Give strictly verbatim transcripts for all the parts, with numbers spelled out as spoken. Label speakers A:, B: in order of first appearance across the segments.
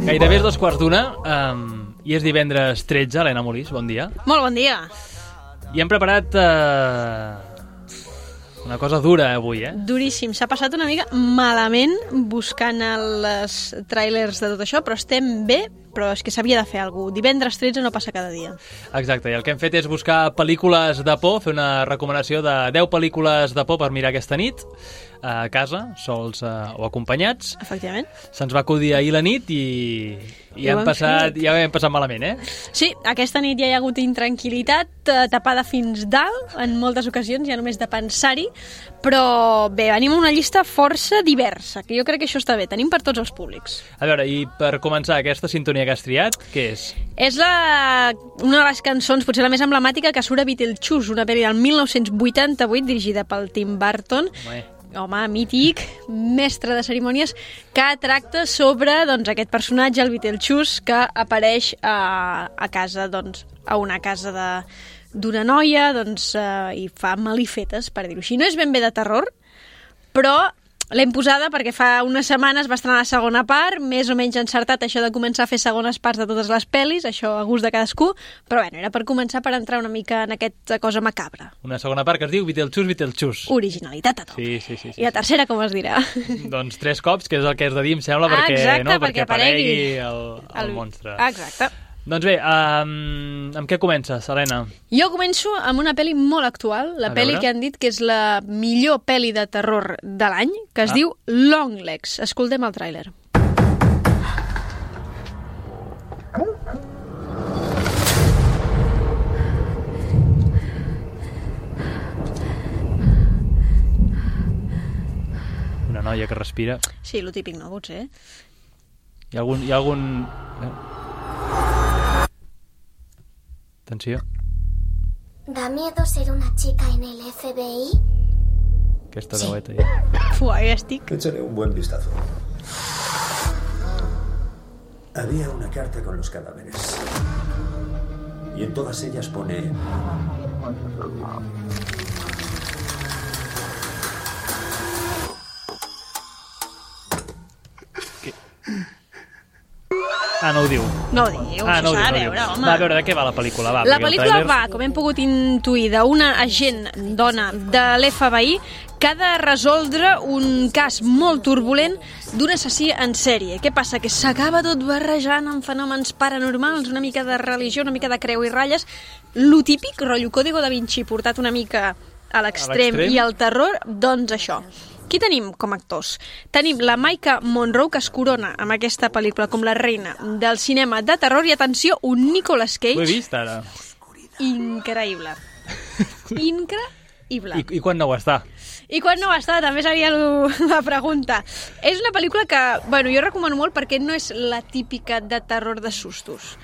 A: Gairebé és dos quarts d'una um, i és divendres tretze. Helena Molís, bon dia.
B: Molt bon dia.
A: I hem preparat uh, una cosa dura avui, eh?
B: Duríssim. S'ha passat una mica malament buscant els tràilers de tot això, però estem bé, però és que s'havia de fer alguna cosa. Divendres tretze no passa cada dia.
A: Exacte, i el que hem fet és buscar pel·lícules de por, fer una recomanació de deu pel·lícules de por per mirar aquesta nit, a casa, sols uh, o acompanyats.
B: Efectivament.
A: Se'ns va acudir ahir la nit i, i, I hem passat, ja hem passat malament, eh?
B: Sí, aquesta nit ja hi ha hagut intranquil·litat, uh, tapada fins dalt, en moltes ocasions, ja només de pensar-hi, però bé, venim a una llista força diversa, que jo crec que això està bé, tenim per tots els públics.
A: A veure, i per començar, aquesta sintonia que has triat, què és?
B: És la, una de les cançons, potser la més emblemàtica, que surt a Beetlejuice, una pel·li del mil nou-cents vuitanta-vuit, dirigida pel Tim Burton. Home. Home, mític, mestre de cerimònies, que tracta sobre doncs, aquest personatge, el Beetlejuice, que apareix a, a casa, doncs, a una casa de d'una noia, doncs, eh, i fa malifetes, per dir-ho així. No és ben bé de terror, però l'hem posada perquè fa unes setmanes va estrenar la segona part, més o menys encertat això de començar a fer segones parts de totes les pel·lis, això a gust de cadascú, però bueno, era per començar per entrar una mica en aquesta cosa macabra.
A: Una segona part que es diu Beetlejuice, Beetlejuice.
B: Originalitat a tope.
A: Sí, sí, sí, sí.
B: I la tercera com es dirà?
A: Doncs tres cops, que és el que has de dir, em sembla,
B: ah,
A: perquè,
B: exacte,
A: no,
B: perquè,
A: perquè aparegui el, el, el monstre.
B: Exacte.
A: Doncs bé, um, amb què comences, Helena?
B: Jo començo amb una pel·li molt actual, la
A: A
B: pel·li
A: veure.
B: que han dit que és la millor pel·li de terror de l'any, que es
A: Ah.
B: diu Longlegs. Escoltem el tràiler.
A: Una noia que respira.
B: Sí, lo típic, no? Potser.
A: Hi ha algun... Hi ha algun... Atenció.
C: ¿Da miedo ser una chica en el F B I?
A: Aquesta veueta ja.
B: Fuà, ja estic.
D: Échale un buen vistazo. Había una carta con los cadáveres. Y en todas ellas pone...
A: Ah, no ho diu.
B: No ho diu,
A: Ah,
B: això
A: no ho diu,
B: s'ha
A: no
B: de
A: ho
B: veure,
A: diu.
B: home.
A: Va, a veure, de què va la pel·lícula? Va,
B: La
A: perquè el
B: pel·lícula
A: tràiler-
B: va, com hem pogut intuir, d'una agent dona de l'F B I que ha de resoldre un cas molt turbulent d'un assassí en sèrie. Què passa? Que s'acaba tot barrejant amb fenòmens paranormals, una mica de religió, una mica de creu i ratlles, lo típic, rotllo Código da Vinci, portat una mica a l'extrem,
A: l'extrem?
B: i el terror, doncs això. Qui tenim com a actors? Tenim la Maika Monroe, que es corona amb aquesta pel·lícula com la reina del cinema de terror, i atenció, un Nicolas
A: Ho he
B: Cage
A: vist, ara.
B: increïble. Increïble.
A: I, I quan no ho està?
B: I quan no va estar, també seria la pregunta. És una pel·lícula que, bueno, jo recomano molt perquè no és la típica de terror de sustos,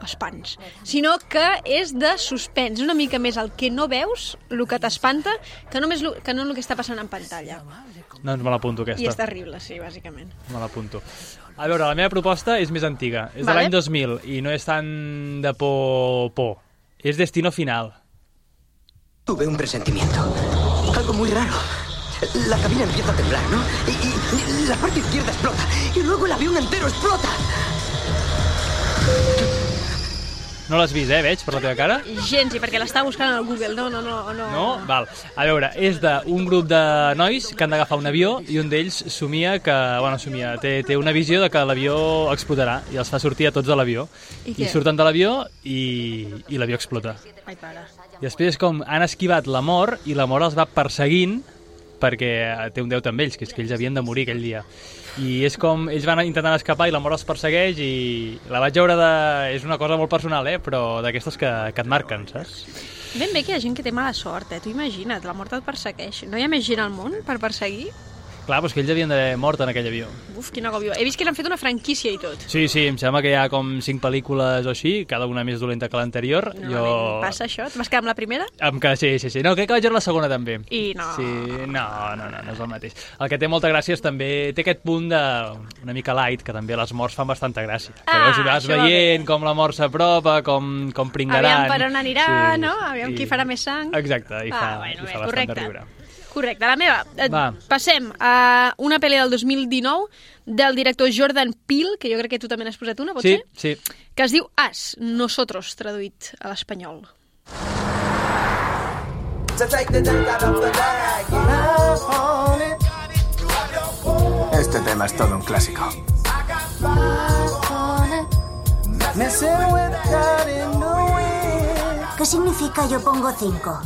B: espants, sinó que és de suspens, una mica més el que no veus, el que t'espanta, que, només lo, que no el que està passant en pantalla.
A: Doncs me l'apunto, aquesta.
B: I és terrible, sí, bàsicament.
A: Me l'apunto. A veure, la meva proposta és més antiga. És de
B: Vale.
A: l'any dos mil i no és tan de por, por. És Destino Final.
E: Tuve un presentimiento. Algo muy raro. La cabina empieza a temblar, ¿no? Y, y- y la parte izquierda explota. Y luego el avión entero explota.
A: No l'has vist, eh, veig, per la teva cara?
B: Gens, i perquè l'estava buscant al Google. No, no, no. No?
A: No? Val. A veure, és d'un grup de nois que han d'agafar un avió i un d'ells somia que... Bueno, somia, té, té una visió de que l'avió explotarà i els fa sortir a tots de l'avió.
B: I
A: I
B: què?
A: surten de l'avió i, i l'avió explota.
B: Ai, pare.
A: I després és com han esquivat la mort i la mort els va perseguint perquè té un deute amb ells, que és que ells havien de morir aquell dia. I és com ells van intentant escapar i la mort els persegueix i la vaig veure de... És una cosa molt personal, eh? Però d'aquestes que, que et marquen, saps?
B: Ben bé que hi ha gent que té mala sort, eh? Tu imagina't, la mort et persegueix. No hi ha més gent al món per perseguir?
A: Clar, però és que ells havien d'haver mort en aquell avió.
B: Uf, quin agòbio. He vist que l'han fet una franquícia i tot.
A: Sí, sí, em sembla que hi ha com cinc pel·lícules o així, cada una més dolenta que l'anterior.
B: No, jo... passa això? Et vas quedar amb la primera?
A: Em que, sí, sí, sí. No, crec que vaig veure la segona també.
B: I no.
A: Sí, no, no, no, no és el mateix. El que té molta gràcia és també... Té aquest punt de... una mica light, que també les morts fan bastanta gràcia. Que
B: Ah,
A: veus, vas
B: això va
A: veient
B: bé.
A: com la mort s'apropa, com, com pringaran.
B: Aviam per on anirà, no? Aviam qui farà més sang.
A: Exacte, i
B: Ah,
A: fa,
B: bueno,
A: i
B: bé,
A: fa bastant
B: correcte.
A: de riure.
B: Correcte, la meva.
A: Va.
B: Passem a una pel·li del dos mil dinou del director Jordan Peele, que jo crec que tu també n'has posat una, pot
A: sí,
B: ser?
A: Sí,
B: que es diu As, Nosotros, traduït a l'espanyol.
F: Este tema es todo un clásico.
C: ¿Qué significa yo pongo cinco?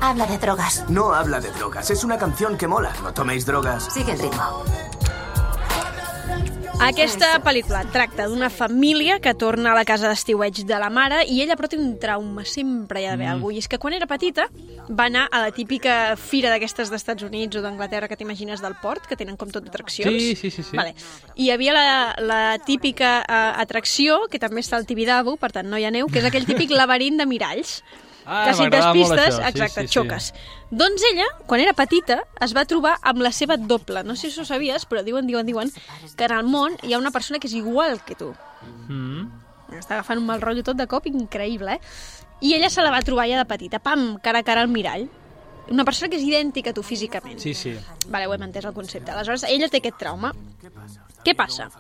C: Habla de drogas.
F: No habla de drogas, es una canción que mola. No toméis drogas.
C: Sigue el ritmo.
B: Aquesta pel·lícula tracta d'una família que torna a la casa d'estiueig de la mare i ella però té un trauma, sempre hi ha d'haver mm. alguna cosa. I és que quan era petita va anar a la típica fira d'aquestes d'Estats Units o d'Anglaterra que t'imagines del port, que tenen com tot atraccions.
A: Sí, sí, sí. sí.
B: Vale. I hi havia la, la típica uh, atracció, que també està al Tibidabo, per tant no hi ha neu, que és aquell típic laberint de miralls.
A: Ah,
B: que si et despistes,
A: això.
B: exacte,
A: sí, sí,
B: xoques.
A: Sí.
B: Doncs ella, quan era petita, es va trobar amb la seva doble. No sé si ho sabies, però diuen, diuen, diuen que en el món hi ha una persona que és igual que tu.
A: Mm.
B: Està agafant un mal rotllo tot de cop increïble, eh? I ella se la va trobar ja de petita, pam, cara a cara al mirall. Una persona que és idèntica a tu físicament.
A: Sí, sí.
B: Vale, ho hem entès el concepte. Aleshores, ella té aquest trauma. Què passa?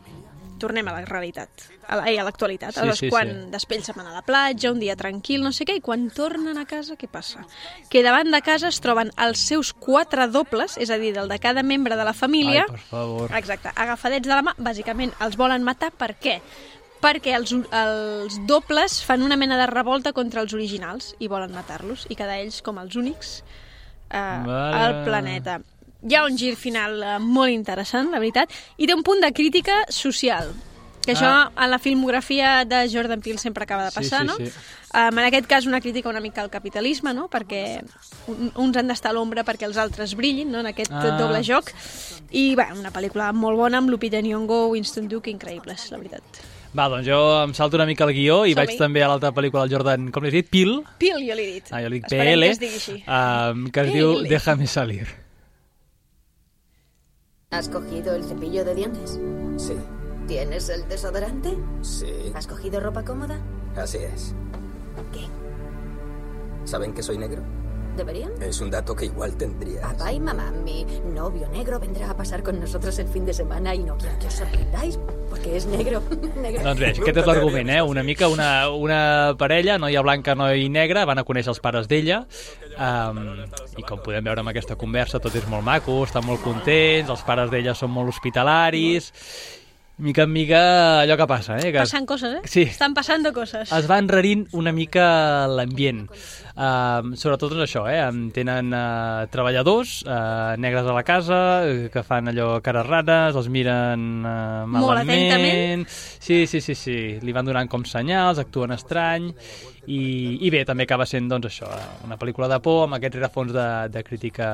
B: Tornem a la realitat, a l'actualitat.
A: Sí,
B: Aleshores,
A: sí,
B: quan
A: sí.
B: després se'n van a la platja, un dia tranquil, no sé què, i quan tornen a casa, què passa? Que davant de casa es troben els seus quatre dobles, és a dir, del de cada membre de la família.
A: Ai, per favor.
B: Exacte, agafadets de la mà, bàsicament els volen matar. Per què? Perquè els, els dobles fan una mena de revolta contra els originals i volen matar-los i quedar ells com els únics eh,
A: vale.
B: al planeta. Hi ha un gir final eh, molt interessant, la veritat, i té un punt de crítica social, que això
A: ah.
B: en la filmografia de Jordan Peele sempre acaba de passar,
A: sí, sí,
B: no?
A: Sí.
B: Um, en aquest cas una crítica una mica al capitalisme, no? Perquè un, uns han d'estar a l'ombra perquè els altres brillin, no? En aquest
A: ah.
B: doble joc. I bé, una pel·lícula molt bona amb Lupita Nyong'o, Winston Duke, increïbles, la veritat.
A: Va, doncs jo em salto una mica el guió i
B: Som-hi.
A: vaig també a l'altra pel·lícula del Jordan, com l'he dit? Peele?
B: Peele, jo l'he dit.
A: Ah, jo li dic
B: Esperem
A: P L,
B: que es digui així.
A: um, que es
B: P L.
A: diu Déjame salir.
G: ¿Has cogido el cepillo de dientes?
F: Sí,
G: ¿Tienes el desodorante?
F: sí,
G: ¿Has cogido ropa cómoda?
F: así es.
G: ¿Qué?
F: ¿Saben que soy negro?
G: ¿Deberían?
F: Es un dato que igual tendrías.
G: Papá y mamá, mi novio negro vendrá a pasar con nosotros el fin de semana y no quiero que os sorprendáis porque es negro. negro.
A: Doncs bé, aquest és l'argument, eh? Una mica una, una parella, noia blanca, noi negra, van a conèixer els pares d'ella um, i com podem veure amb aquesta conversa tot és molt maco, estan molt contents, els pares d'ella són molt hospitalaris, mica en mica allò que passa, eh? Que
B: Passen coses, eh?
A: Sí.
B: Estan passant coses.
A: es va enrarint una mica l'ambient. Uh, sobretot doncs això, eh? Tenen uh, treballadors uh, negres a la casa, uh, que fan allò cares rares, els miren uh, malament.
B: Molt atentament.
A: Sí, sí, sí, sí. Li van donant com senyals, actuen estrany. I, i bé, també acaba sent doncs això, una pel·lícula de por amb aquest rerefons de, de, crítica,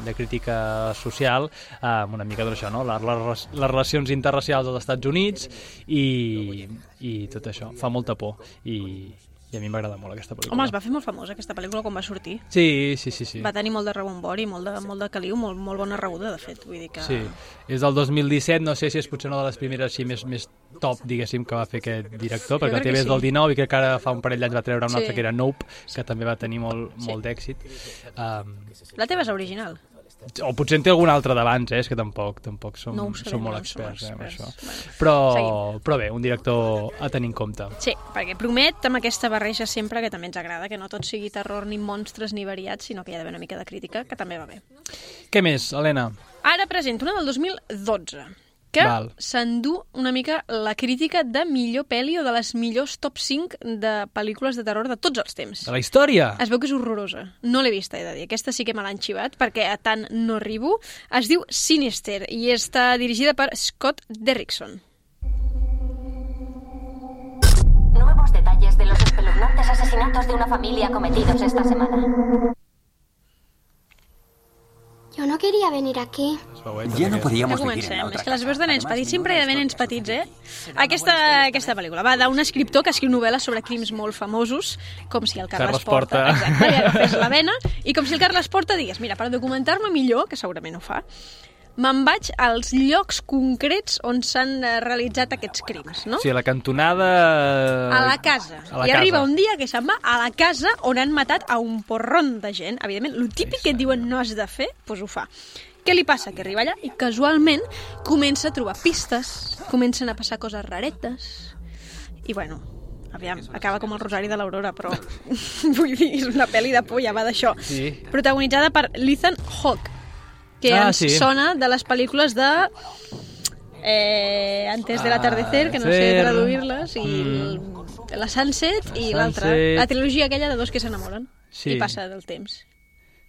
A: de crítica social, amb una mica doncs això, no? les, les, les relacions interracials als Estats Units i, i tot això, fa molta por i, i a mi m'agrada molt aquesta pel·lícula.
B: Home, es va fer molt famosa aquesta pel·lícula quan va sortir.
A: Sí, sí, sí, sí.
B: Va tenir molt de rebombori, molt de, molt de caliu, molt, molt bona rebuda, de fet. Vull dir que...
A: Sí, és del dos mil disset, no sé si és potser una de les primeres així més, més top, diguéssim, que va fer aquest director, perquè el T V és
B: sí.
A: del dinou i que ara fa un parell d'anys va treure un
B: Sí.
A: altre que era Nope, que també va tenir molt,
B: Sí.
A: molt d'èxit. Um,
B: La teva és original.
A: o potser en té algun altre d'abans, eh? És que tampoc, tampoc som,
B: No ho sabem,
A: som molt
B: no som
A: experts, eh, amb
B: experts.
A: això.
B: Bueno,
A: però,
B: seguim.
A: però bé, un director a tenir en compte.
B: Sí, perquè promet amb aquesta barreja sempre que també ens agrada, que no tot sigui terror ni monstres ni variats, sinó que hi ha d'haver una mica de crítica, que també va bé.
A: Què més, Helena?
B: Ara presento una del dos mil dotze, que
A: Val.
B: s'endú una mica la crítica de millor pel·li o de les millors top cinc de pel·lícules de terror de tots els temps.
A: De la història?
B: Es veu que és horrorosa. No l'he vista, he de dir. Aquesta sí que me l'han xivat, perquè a tant no arribo. Es diu Sinister i està dirigida per Scott Derrickson.
H: Nuevos detalles de los espeluznantes asesinatos de una familia cometidos esta semana.
C: Yo no quería venir aquí.
F: Ya no podíamos
B: Ja
F: vivir en la
B: comencem.
F: otra
B: És que les
F: casa.
B: veus de nens
F: Además,
B: petits,
F: mi
B: sempre hi ha
F: madre
B: d'haver
F: es
B: nens
F: tonta.
B: petits, eh? Aquesta, aquesta pel·lícula va d'un escriptor que escriu novel·les sobre crims molt famosos, com si el Carles,
A: Carles Porta.
B: Exacte, li agafés la vena, i com si el Carles Porta digués, mira, per documentar-me millor, que segurament ho fa, me'n vaig als llocs concrets on s'han realitzat aquests crims, no?
A: Sí, a la cantonada...
B: A la casa.
A: A la
B: I
A: casa.
B: arriba un dia que se'n va a la casa on han matat a un porron de gent. Evidentment, el típic que et diuen no has de fer, doncs ho fa. Què li passa? Que arriba allà i casualment comença a trobar pistes, comencen a passar coses raretes, i bueno... Aviam, acaba com el Rosari de l'Aurora, però vull dir, és una pel·li de por, ja va d'això.
A: Sí.
B: Protagonitzada per Ethan Hawke, que
A: ah,
B: ens
A: sí.
B: sona de les pel·lícules de eh, Antes de l'atardecer, que no sé traduir-les, i mm. la Sunset i l'altra. La trilogia aquella de dos que s'enamoren
A: sí.
B: i passa del temps.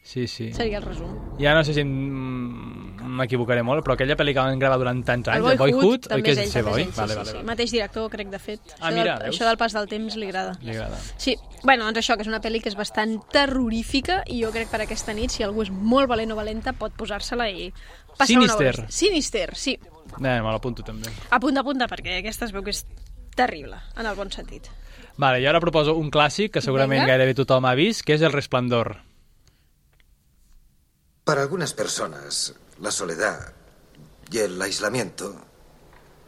A: Sí, sí.
B: Seria el resum.
A: Ja no sé si m'equivocaré molt, però aquella pel·li que van gravar durant tants anys,
B: el
A: Boyhood,
B: Boyhood
A: oi que és
B: ell,
A: seva, oi?
B: Sí,
A: vale,
B: sí,
A: vale,
B: sí.
A: vale.
B: Mateix director, crec, de fet.
A: Ah,
B: això,
A: mira,
B: del,
A: veus?
B: això del pas del temps li agrada.
A: Li agrada.
B: Sí, bueno, doncs això, que és una pel·li que és bastant terrorífica i jo crec per aquesta nit, si algú és molt valent o valenta, pot posar-se-la i passar
A: Sinister.
B: una hora. Sinister, sí.
A: Eh, me l'apunto també.
B: Apunta, apunta, perquè aquesta es veu que és terrible, en el bon sentit.
A: Vale, i ara proposo un clàssic que segurament
B: Venga.
A: gairebé tothom ha vist, que és El Resplandor.
I: Para algunas personas, la soledad y el aislamiento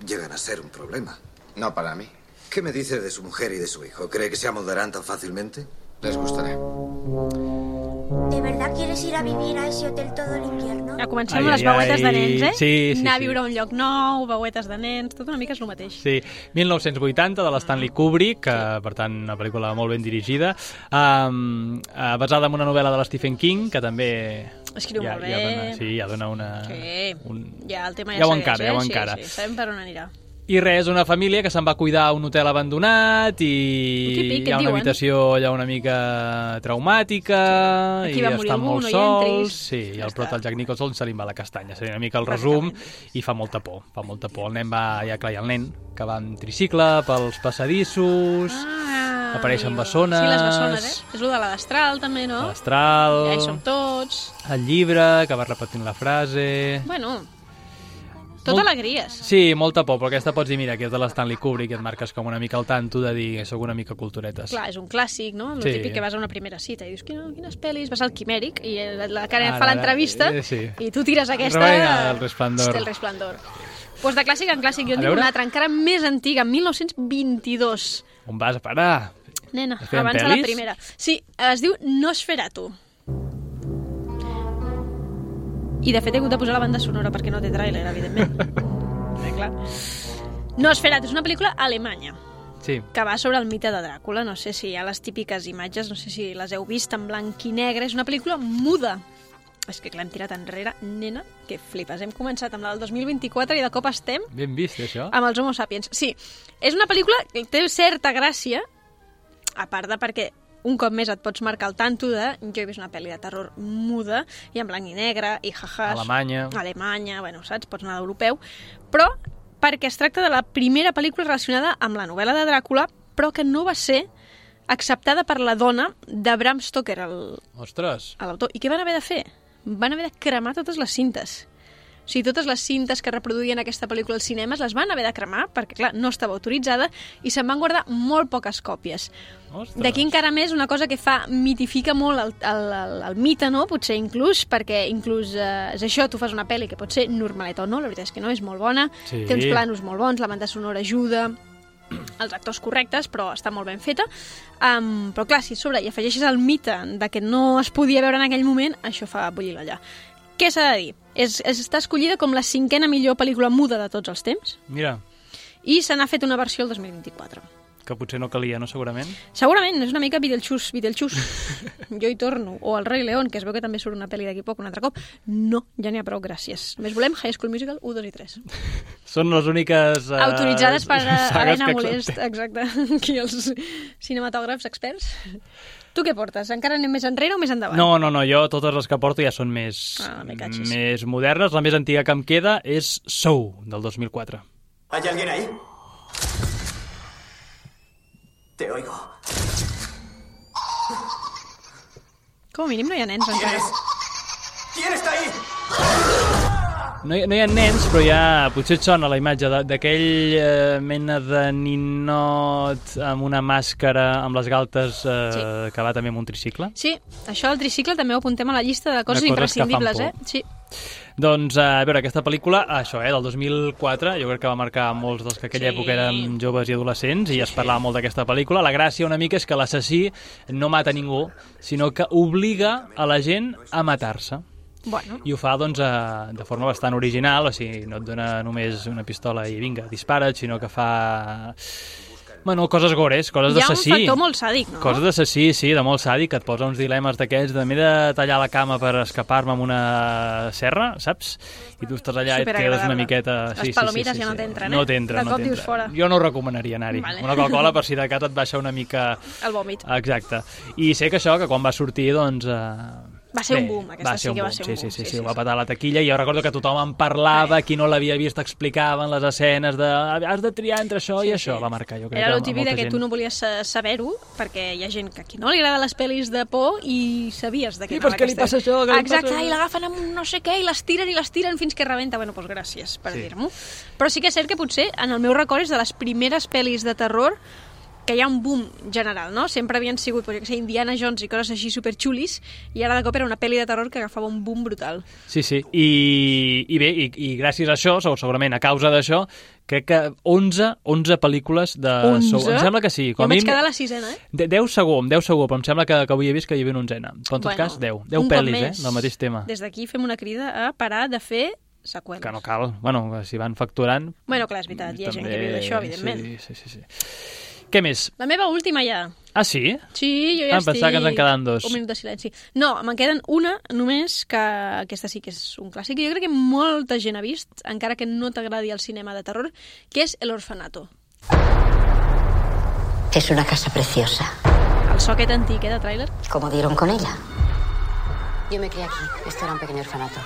I: llegan a ser un problema.
J: No para mí.
I: ¿Qué me dice de su mujer y de su hijo? ¿Cree que se amoldarán tan fácilmente?
J: Les gustaré.
C: ¿De verdad quieres ir a vivir a ese hotel todo el invierno?
B: Ja comencem
A: Ai,
B: amb les
A: ai,
B: veuetes de nens, eh?
A: sí, sí,
B: Anar a
A: sí.
B: viure a un lloc nou, veuetes de nens, tot una mica és el mateix.
A: Sí, mil nou-cents vuitanta, de l'Stanley Kubrick, que, per tant, una pel·lícula molt ben dirigida, um, uh, basada en una novel·la de l'Stephen King, que també...
B: Escriu
A: ja,
B: molt bé.
A: Ja dona, sí, ja dona una...
B: Sí,
A: un...
B: ja el tema
A: ja
B: ja,
A: ho
B: segueix,
A: encara,
B: eh?
A: ja ho
B: sí,
A: encara.
B: Sí, sabem per on anirà.
A: I res, una família que se'n va cuidar a un hotel abandonat i
B: típic,
A: hi ha una
B: diuen.
A: habitació allà una mica traumàtica
B: Aquí
A: i
B: va morir
A: estan
B: algú,
A: molt
B: no hi
A: sols.
B: entris.
A: Sí, i el prota, el Jack Nicholson, se li va la castanya. Seria una mica el resum i fa molta por, fa molta por. El nen va, ja clar, hi ha el nen que va amb tricicle pels passadissos,
B: Ah,
A: apareixen
B: amigo.
A: bessones.
B: Sí, les bessones, eh? És el de la destral, també, no?
A: L'astral,
B: Ja hi som tots.
A: el llibre, que va repetint la frase...
B: Bueno, tot
A: Molt-
B: alegries.
A: Sí, molta por, però aquesta pots dir, mira, que és de l'Stanley Kubrick, i et marques com una mica al tanto de dir que sóc una mica culturetes.
B: Clar, és un clàssic, no? El
A: Sí.
B: típic que vas a una primera cita i dius, Quina, quines pel·lis? Vas al Quimèric i la, la Karen
A: Ara,
B: fa
A: ara,
B: l'entrevista
A: eh, sí.
B: i tu tires aquesta...
A: Reina del Resplandor.
B: Hosti, El Resplandor. Pues de clàssic en clàssic, jo
A: A
B: en dic
A: veure.
B: una altra, encara més antiga, en mil nou-cents vint-i-dos.
A: On vas a parar?
B: Nena,
A: Es feien
B: abans de la
A: pel·lis?
B: primera. Sí, es diu Nosferatu. I de fet he hagut de posar la banda sonora perquè no té tràiler, evidentment. eh, clar. Nosferatu és una pel·lícula alemanya
A: Sí.
B: que va sobre el mite de Dràcula. No sé si hi ha les típiques imatges, no sé si les heu vist en blanc i negre. És una pel·lícula muda. És que clar, hem tirat enrere, nena, que flipes. Hem començat amb la del dos mil vint-i-quatre i de cop estem
A: Ben vist, això.
B: amb els Homo sapiens. Sí, és una pel·lícula que té certa gràcia, a part de perquè un cop més et pots marcar el tanto de jo he vist una pel·li de terror muda i en blanc i negre i jajas.
A: Alemanya.
B: Alemanya, bueno, saps? Pots anar d'europeu. Però perquè es tracta de la primera pel·lícula relacionada amb la novel·la de Dràcula, però que no va ser acceptada per la dona de Bram Stoker, el,
A: Ostres.
B: l'autor. I què van haver de fer? Van haver de cremar totes les cintes. O sigui, totes les cintes que reproduïen aquesta pel·lícula als cinemes les van haver de cremar, perquè, clar, no estava autoritzada, i se'n van guardar molt poques còpies.
A: Ostres.
B: D'aquí encara més una cosa que fa, mitifica molt el, el, el, el mite, no? Potser inclús, perquè inclús eh, és això, tu fas una pel·li que pot ser normaleta o no, la veritat és que no, és molt bona,
A: Sí.
B: té uns planos molt bons, la banda sonora ajuda, els actors correctes, però està molt ben feta. Um, però clar, si a sobre hi afegeixes el mite de que no es podia veure en aquell moment, això fa bullir l'olla. Què s'ha de dir? És, és, està escollida com la cinquena millor pel·lícula muda de tots els temps
A: Mira,
B: i se n'ha fet una versió el dos mil vint-i-quatre.
A: que potser no calia, no, segurament?
B: Segurament, és una mica Beetlejuice, Beetlejuice. Jo hi torno. O el Rei León, que es veu que també surt una pel·li d'aquí poc un altre cop. No, ja n'hi ha prou, gràcies. Només volem High School Musical u, dos i tres.
A: Són les úniques... Uh,
B: Autoritzades per uh,
A: sagues
B: Helena
A: que
B: Molest,
A: acceptem.
B: exacte. Aquí els cinematògrafs experts. Tu què portes? Encara anem més enrere o més endavant?
A: No, no, no, jo totes les que porto ja són més,
B: Ah, me catxis.
A: més modernes. La més antiga que em queda és Soul, del dos mil quatre.
F: ¿Hay alguien ahí? Te oigo.
B: Com a mínim no hi ha nens
F: ¿Quién
B: encara.
F: es? ¿Quién está ahí?
A: No hi, no hi ha nens, però ja potser et sona la imatge de- d'aquell eh, mena de ninot amb una màscara amb les galtes eh,
B: Sí.
A: que va també amb un tricicle.
B: Sí, això del tricicle també ho apuntem a la llista de coses
A: De coses que fan
B: imprescindibles,
A: por.
B: eh? Sí.
A: Doncs, a veure, aquesta pel·lícula, això, eh, del dos mil quatre, jo crec que va marcar molts dels que aquella
B: Sí.
A: època érem joves i adolescents i es parlava molt d'aquesta pel·lícula. La gràcia una mica és que l'assassí no mata ningú, sinó que obliga a la gent a matar-se.
B: Bueno.
A: I ho fa, doncs, a, de forma bastant original, o sigui, no et dona només una pistola i vinga, dispara't, sinó que fa... Bueno, coses gores, coses d'assassí.
B: Hi ha un factor molt sàdic, no?
A: Coses d'assassí, sí, de molt sàdic, que et posa uns dilemes d'aquests, de m'he de tallar la cama per escapar-me amb una serra, saps? I tu estàs allà i et quedes una miqueta...
B: Les
A: sí,
B: palomites
A: sí, sí, sí,
B: ja no
A: sí.
B: t'entren, eh?
A: No t'entren,
B: De
A: no
B: cop dius
A: t'entren.
B: fora.
A: Jo no ho recomanaria anar-hi.
B: Vale.
A: Una Coca-Cola, per si de cas et baixa una mica...
B: El vòmit.
A: Exacte. I sé que això, que quan va sortir, doncs... Eh...
B: Va ser
A: Bé,
B: un boom, aquesta sí que va ser un
A: sí,
B: boom.
A: Sí, sí, sí,
B: sí,
A: sí,
B: sí,
A: ho va
B: sí.
A: patar a la taquilla i jo recordo que tothom en parlava, qui no l'havia vist explicaven les escenes de has de triar entre això
B: Sí,
A: i això,
B: sí.
A: va marcar, jo crec
B: Era
A: que
B: el
A: a
B: típic
A: molta
B: de que
A: gent.
B: tu no volies sa- saber-ho, perquè hi ha gent que a qui no li agrada les pel·lis de por i sabies de què
A: I
B: anava
A: per què li
B: aquesta-
A: passa això, què li
B: Exacte,
A: passa això?
B: i l'agafen amb un no sé què i les tiren i les tiren fins que rebenta. Bueno, doncs gràcies per
A: Sí.
B: dir-m'ho. Però sí que és cert que potser en el meu record és de les primeres pel·lis de terror que hi ha un boom general, no? Sempre havien sigut, pues, jo què sé, Indiana Jones i coses així superxulis, i ara de cop era una pel·li de terror que agafava un boom brutal.
A: Sí, sí, I, i bé, i, i gràcies a això, segurament a causa d'això, crec que onze, onze pel·lícules de
B: onze?
A: Saw. Em sembla que sí.
B: Jo
A: Com a
B: vaig
A: mínim-
B: quedar a la sisena, eh?
A: De- deu segur, amb deu segur, però em sembla que, que avui he vist que hi havia una onzena. Però en tot
B: Bueno,
A: cas, deu. deu
B: un cop
A: pel·lis,
B: més,
A: eh, del mateix tema.
B: Des d'aquí fem una crida a parar de fer seqüeles.
A: Que no cal. Bueno, si van facturant...
B: Bueno, clar, és veritat, hi ha gent que viu d'això, evidentment.
A: Sí, sí, sí, sí. Què més?
B: La meva última ja.
A: Ah, sí?
B: Sí, jo ja
A: Ah, em
B: estic...
A: pensava que ens en quedaven dos.
B: Un minut de silenci. No, me'n queden una només, que aquesta sí que és un clàssic, i jo crec que molta gent ha vist, encara que no t'agradi el cinema de terror, que és El Orfanato.
J: Es una casa preciosa.
B: El so aquest antic, eh, de tràiler.
J: ¿Cómo dieron con ella? Yo me crié aquí. Esto era un pequeño orfanato.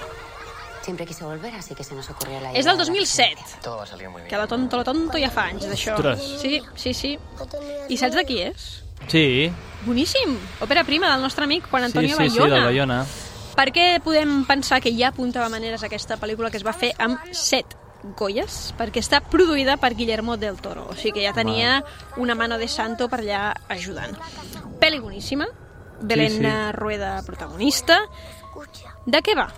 J: Siempre quise volver, así que se nos ocurrió la idea.
B: És del dos mil set.
J: Todo va a salir muy bien.
B: Que la tonto, la tonto ja fa anys, d'això.
A: Ostres.
B: Sí, sí, sí. I saps de qui és?
A: Sí.
B: Boníssim. Òpera prima del nostre amic Juan Antonio
A: sí, sí, sí,
B: Bayona.
A: del Bayona.
B: Per què podem pensar que ja apuntava maneres aquesta pel·lícula que es va fer amb set Goyes? Perquè està produïda per Guillermo del Toro, o sigui que ja tenia una mano de santo per allà ajudant. Pel·li boníssima, Belén
A: Sí, sí.
B: Rueda protagonista. De què va?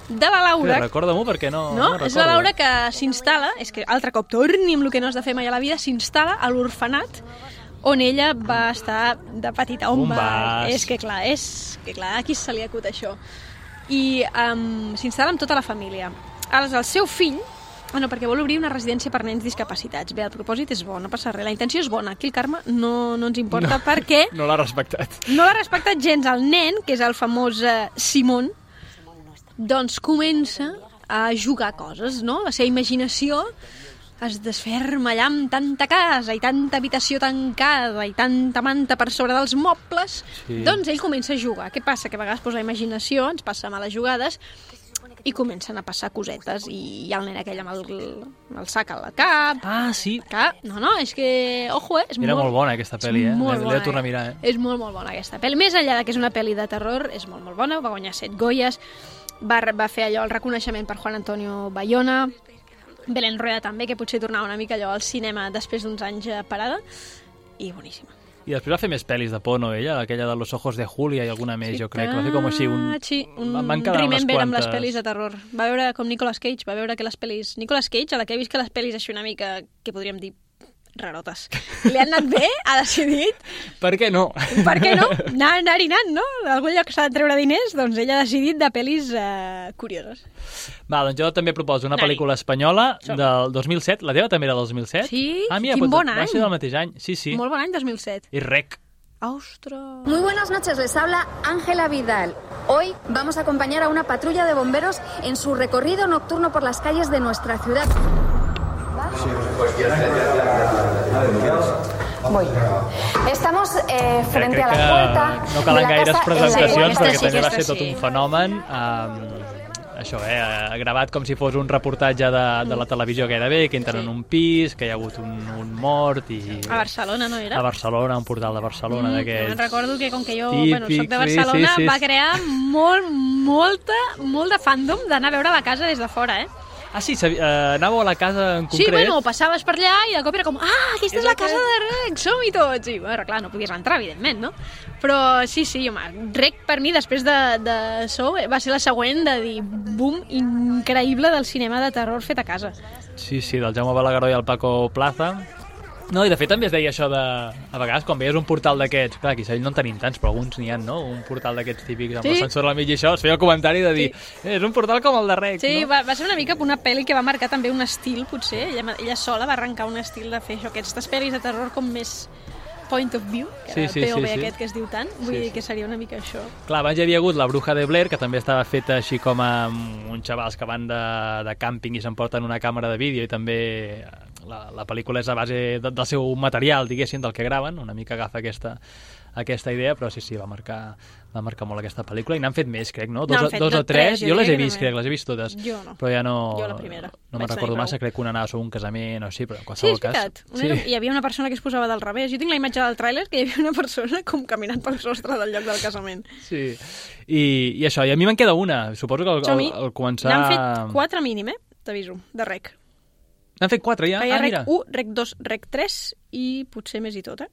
B: De la Laura.
A: Sí, recorda-m'ho perquè no,
B: No?
A: no
B: És la
A: recordo.
B: Laura que s'instal·la, és que altre cop torni amb el que no has de fer mai a la vida, s'instal·la a l'orfenat on ella va estar de petita. On
A: On
B: va?
A: vas?
B: És que clar, és que clar, aquí se li acut això. I um, s'instal·la amb tota la família. Aleshores, el seu fill, ah, no, perquè vol obrir una residència per nens discapacitats. Bé, el propòsit és bo, no passa res. La intenció és bona. Aquí el Carme no, no ens importa
A: No.
B: perquè
A: No l'ha respectat.
B: no l'ha respectat gens. El nen, que és el famós eh, Simón, doncs comença a jugar coses, no? La seva imaginació es desferma allà amb tanta casa i tanta habitació tancada i tanta manta per sobre dels mobles.
A: Sí.
B: Doncs ell comença a jugar. Què passa? Que a vegades pues, la imaginació ens passa males jugades i comencen a passar cosetes i hi ha el nen aquell amb el, amb el sac al cap.
A: Ah, sí.
B: Que, no, no, és que, ojo, eh? És
A: Era molt bona aquesta pel·li, eh?
B: és molt
A: L'he- l'he
B: bona,
A: de tornar a mirar, eh?
B: És molt, molt bona aquesta pel·li. Més enllà de que és una pel·li de terror, és molt, molt bona. Va guanyar set Goyes. Va, va fer allò, el reconeixement per Juan Antonio Bayona. Belén Rueda també, que potser tornava una mica allò al cinema després d'uns anys eh, parada. I boníssima.
A: I després va fer més pel·lis de por, no, ella? Aquella de Los ojos de Julia i alguna més, jo crec. Va fer com així un...
B: Sí, un
A: Van quedar unes
B: remember amb les
A: quantes.
B: pel·lis de terror. Va veure com Nicolas Cage, va veure que les pel·lis... Nicolas Cage, a la que he vist que les pel·lis així una mica, que podríem dir, rarotes. Li han anat bé, ha decidit,
A: Per què no?
B: per què no? Anar, anar-hi anant, no? D'algun lloc s'ha de treure diners, doncs ella ha decidit de pel·lis eh, curioses.
A: Va, doncs jo també proposo una
B: Anari.
A: pel·lícula espanyola
B: Som.
A: del dos mil set. La teva també era del dos mil set?
B: Sí,
A: ah, mira,
B: quin
A: doncs
B: bon
A: Va
B: any.
A: ser del mateix any, sí, sí.
B: Molt bon any, dos mil set.
A: I rec.
B: ¡Ostras!
K: Muy buenas noches, les habla Ángela Vidal. Hoy vamos a acompañar a una patrulla de bomberos en su recorrido nocturno por las calles de nuestra ciudad. Voy. Estamos eh, frente
A: Crec
K: a la
A: que
K: puerta
A: no
K: de
A: calen
K: la
A: gaires
K: casa
A: presentacions
K: en la
A: perquè
B: sí,
A: també va
B: aquesta
A: ser tot
B: sí.
A: un fenomen. Um, això, eh, gravat com si fos un reportatge de, de la televisió gairebé, que entren
B: Sí.
A: en un pis, que hi ha hagut un, un mort i...
B: A Barcelona, no era?
A: A Barcelona, un portal de Barcelona
B: Mm,
A: d'aquests.
B: me'n recordo que com que jo
A: Típics,
B: bueno, soc de
A: sí,
B: Barcelona,
A: sí, sí.
B: va crear molt, molta, molt de fandom d'anar a veure la casa des de fora, eh?
A: Ah, sí, sabi... uh, anàveu a la casa en concret?
B: Sí, bueno, passaves per allà i de cop era com, ah, aquesta és, és la casa de Rec, som-hi tots! I, bueno, clar, no podies entrar, evidentment, no? Però sí, sí, home, Rec per mi, després de, de So, va ser la següent de dir, boom, increïble del cinema de terror fet a casa.
A: Sí, sí, del Jaume Balagueró i el Paco Plaza. No, i de fet també es deia això de... A vegades, quan veies un portal d'aquests... Clar, aquí a Sabell no en tenim tants, però alguns n'hi ha, no? Un portal d'aquests típics amb sí. l'ascensor al mig i això, es feia el comentari de dir sí. és un portal com el de Rec,
B: sí,
A: no?
B: Sí, va, va ser una mica una pel·li que va marcar també un estil, potser. Ella, ella sola va arrencar un estil de fer això, aquestes pel·lis de terror com més point of view, que sí, sí, el P O V sí, sí. aquest que es diu tant, vull sí, dir que seria una mica això.
A: Clar, abans hi havia hagut La Bruja de Blair, que també estava feta així com amb uns xavals que van de, de càmping i s'emporten una càmera de vídeo i també la, la pel·lícula és a base de, del seu material, diguéssim, del que graven, una mica agafa aquesta, aquesta idea, però sí, sí, va marcar, va marcar molt aquesta pel·lícula i n'han fet més, crec, no? Dos, dos o tres, jo, jo les he vist, crec, les he vist totes.
B: Jo no.
A: Però ja no...
B: Jo la primera.
A: No me'n recordo massa, crec que una anava sobre un casament o així, però en qualsevol cas...
B: Sí, és veritat. Cas, sí. Hi havia una persona que es posava del revés. Jo tinc la imatge del tràiler que hi havia una persona com caminant pel sostre del lloc del casament.
A: Sí. I, i això, i a mi me'n queda una. Suposo que al, al, al començar...
B: N'han fet quatre mínim, eh? T'aviso, de Rec.
A: N'han fet quatre, ja?
B: Hi ha
A: ah,
B: Rec
A: mira.
B: u, Rec dos, Rec tres i potser més i tot, eh?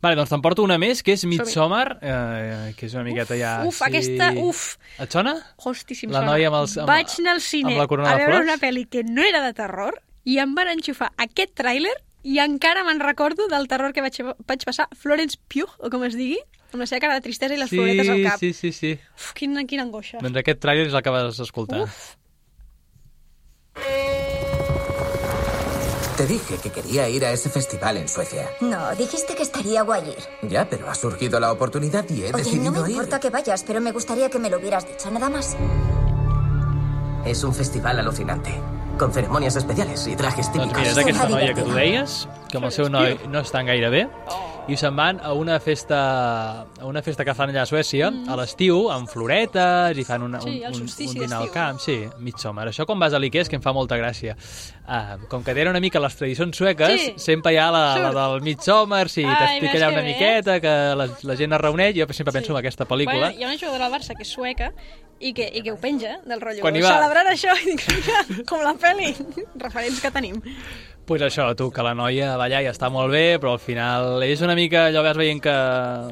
A: Vale, doncs te'n porto una més, que és Midsommar, eh, que és una miqueta
B: uf,
A: ja...
B: Uf, sí... aquesta, uf!
A: Et sona?
B: Hosti, si em
A: la
B: sona.
A: Noia amb els, amb,
B: Vaig anar al cine
A: a
B: veure una pel·li que no era de terror i em van enxufar aquest tràiler i encara me'n recordo del terror que vaig, vaig passar Florence Pugh, o com es digui, amb la seva cara de tristesa i les
A: sí,
B: floretes al cap.
A: Sí, sí, sí.
B: Uf, quina, quina angoixa.
A: Doncs aquest tràiler és el que vas escoltar.
B: Uf.
F: Te dije que quería ir a ese festival en Suecia.
C: No, dijiste que estaría guay ir.
F: Ya, pero ha surgido la oportunidad y he
C: Oye,
F: decidido ir.
C: no me importa
F: ir.
C: que vayas, pero me gustaría que me lo hubieras dicho, nada más.
F: És un festival al·lucinante, con ceremonias especiales i trajes típicos.
A: Doncs mira, és aquesta noia que tu deies, que amb el seu noi no estan gaire bé, i se'n van a una festa a una festa que fan allà a Suècia, mm. a l'estiu, amb floretes, i fan una,
B: sí,
A: un, un, un dinar al
B: d'estiu.
A: camp. Sí, Midsommar. Això quan vas a l'Ikea és que em fa molta gràcia. Uh, com que tenen una mica les tradicions sueques, sí. sempre hi ha la, la del Midsommar, sí, t'explica allà una
B: bé.
A: miqueta, que la, la gent es reuneix, jo sempre penso sí. en aquesta pel·lícula.
B: Bueno, hi ha una jugadora del Barça que és sueca i que, i que ho penja del rotllo.
A: Quan hi va...
B: Celebrant això, i dic, mira, com la pel·li, referents que tenim.
A: Pues això, tu, que la noia va allà i està molt bé, però al final és una mica, allò vas veient que...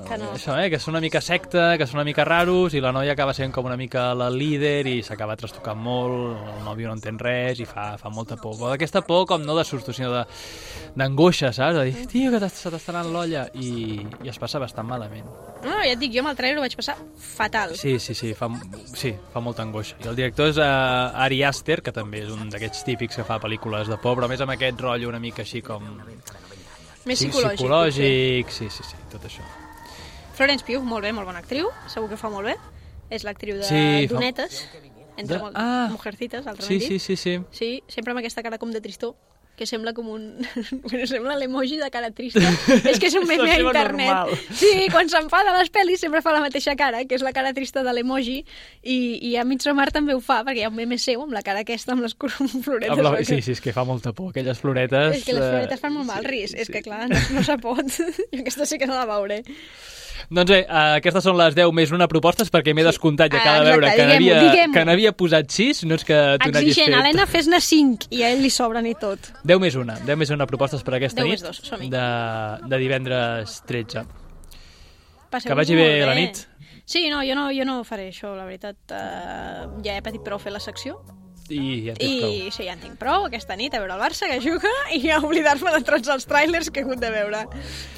B: Que no.
A: Això, eh? Que són una mica secta, que són una mica raros, i la noia acaba sent com una mica la líder i s'acaba trastocant molt, el nòvio no entén res i fa, fa molta por. Però d'aquesta por com no de susto, sinó d'angoixa, saps? De dir, tio, que se t'està anant l'olla, i, i es passa bastant malament.
B: No, ja et dic, jo amb el trailer ho vaig passar fatal.
A: Sí, sí, sí, fa, sí, fa molta angoixa. I el director és uh, Ari Aster, que també és un d'aquests típics que fa pel·lícules de por, però més amb aquest rotllo una mica així com...
B: Més
A: sí,
B: psicològic.
A: Psicològic, sí, sí, sí, tot això.
B: Florence Pugh, molt bé, molt bona actriu, segur que fa molt bé. És l'actriu de
A: sí,
B: Donetes,
A: fa...
B: entre
A: de... ah,
B: Mujercitas, altrament
A: sí,
B: dit.
A: Sí, sí, sí.
B: Sí, sempre amb aquesta cara com de tristor, que sembla com un... bueno, sembla l'emoji de cara trista. És que és un meme a internet. Normal. Sí, quan s'enfada a les pel·lis sempre fa la mateixa cara, que és la cara trista de l'emoji, i, i a Midsommar també ho fa, perquè hi ha un meme seu amb la cara aquesta, amb les floretes. Amb
A: la... Sí, sí, és que fa molta por, aquelles floretes...
B: És que les floretes fan molt mal risc, és
A: sí.
B: que clar, no, no se pot. Jo aquesta sí que no la veuré.
A: Doncs bé, uh, aquestes són les deu més una propostes, perquè m'he descomptat ja cada
B: ah,
A: veure que n'havia que n'havia posat sis, no és que tu n'hagis fet...
B: Exigent, Helena, fes-ne cinc, i a ell li sobren i tot.
A: deu més una, deu més una propostes per aquesta nit,
B: dos,
A: de, de divendres tretze.
B: Passeu
A: que vagi bé, bé la nit.
B: Sí, no jo, no, jo no faré això, la veritat. Uh, ja he patit prou fer la secció.
A: I ja en
B: I
A: prou.
B: sí, ja en tinc prou aquesta nit a veure el Barça que juga i a oblidar-me de tots els trailers que he hagut de veure.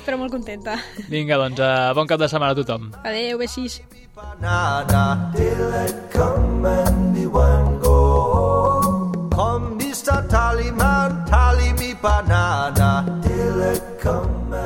B: Però molt contenta.
A: Vinga, doncs, uh, bon cap de setmana a tothom.
B: Adéu, besís.
L: Come, mister Tallyman, tally me banana. Till it come